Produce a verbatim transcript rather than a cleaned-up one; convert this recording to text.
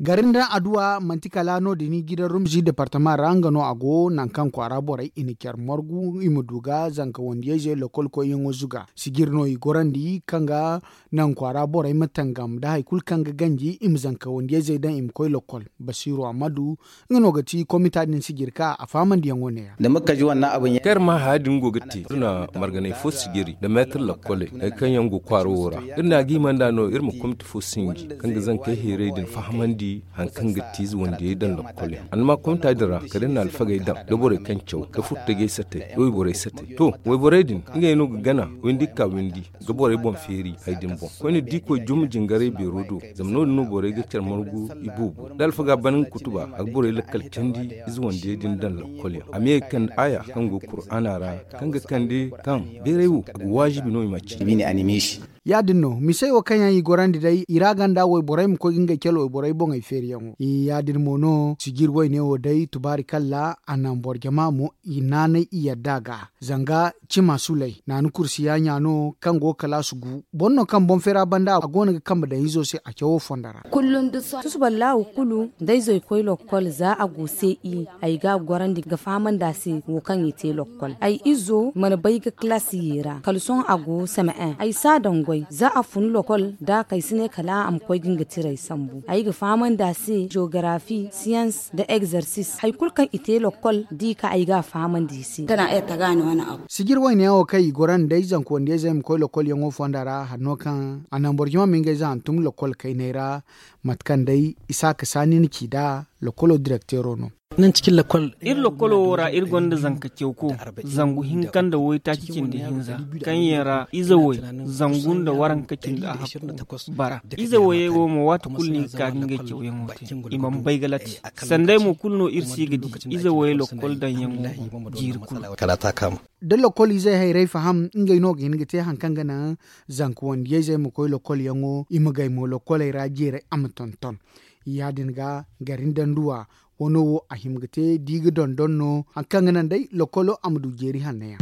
Gari nda adduwa manti kala no- din i ga i daŋ rumzi departama ra nga no a go nangu kaŋ kwaara borey i na care margu i ma du ga zanka wandiyayzey lokol koyyaŋo zuga sijir no i gorandi kaŋ ga nangu kwaara borey ma tangam nda hari kulu kaŋ ga ganji i ma zanka wandiyayzey daŋ i ma koy lokol. Basiiru ammadu, nga no ga ti komita din sijir ka a fahamandiyaŋo neeya. Kaŋ iri ma haya din go ga te iri na marganay fo sijiri nda meetar lokkoley hari kaŋ yaŋ go kwaaro wo ra. Iri na a ga hima nd'a no iri ma komita fo sinji kaŋ ga zankey hayray din fahamandi hari kaŋ ga ti ize wandiyey daŋ lokkol yaŋ annama komita din ra kala iri na alfagey daŋ nda borey kaŋ caw nda furtajey satey nda wayborey satey to wayborey din ngey no ga gana windi ga ka windi ga borey boŋ feeri hari din boŋ koyne da i koy juma jingaray beero do. Zama no- din no borey ga care margu i boobo da alfaga ban nga kutuba a ga borey lakkal candi ize wandiyey din daŋ lokkol yaŋ a ma ye ga kande aaya kaŋ go kur'aana ra kaŋ ga kande kaŋ beeray wo a ga waajibi no i ma cindi. Ya- din no misey wo kaŋ yaŋ i gorandi day i ra ganda wayborey ma koy ga ngey care wayborey boŋey feeriyaŋo ya- din mo no sijir wayne wo day tubaari kalla a naŋ boro jama mo i naanay i yadda a ga zanga cima suley naanu kursiya ɲa no kaŋ go ga kalaasu gu boro no kaŋ boŋ feera banda a go no ga kambe daŋ izo se a cawo fondo ra. Tusu ballaawo kulu da izo i koy lokkol za a go se i ay ga a gorandi ga fahamandi a se wo kaŋ i te lokkol ay izo mana bay ga kalaasi ye ra kala sohõ a go same en ay si a daŋ goy za a fun lokkol da kay si ne kala a ma koy ga nga tiray sambu ay ga fahamandi a se jogarafi siyans nda egzarsis hari kulu kaŋ i te lokkol da i ka ay ga a fahamandi i se. Sijir wayne yaŋ wo kaŋ i goro nda ay zanka wandiyayzey ma koy lokkol yaŋo fonda ra hari no kaŋ a naŋ boro jama ma ngey za hantum lokkol kayney ra. Mate kaŋ day isaaka saani na ci nd'a lokkolo direkteero no. Iri lokkolo wo ra iri gonda zanka cawko zangu hinka nda waytaaci cindi hinza kaŋ yaŋ ra ize way zangu nda waranka cindi ahakku bara. Ize wayey wo mo waati kulu no i ga ka ga ngey cawyaŋo te i mana bay ga latti. Sanday mo kulu no iri si ga di ize wayey lokkol daŋyaŋo jiiri kulu. Da lokkol izey hayray faham ngey no ga hin ga te hari kaŋ ga naŋ zanka wandiyayzey ma koy lokkolyaŋo i ma gay mo lokkoley ra jeeray a ma tonton. Ya- din ga gari nda nduwa wano wo a hima ga te da i ga dondon no hari kaŋ ga naŋ day lokkolo a ma du jeeri hanno yaŋ.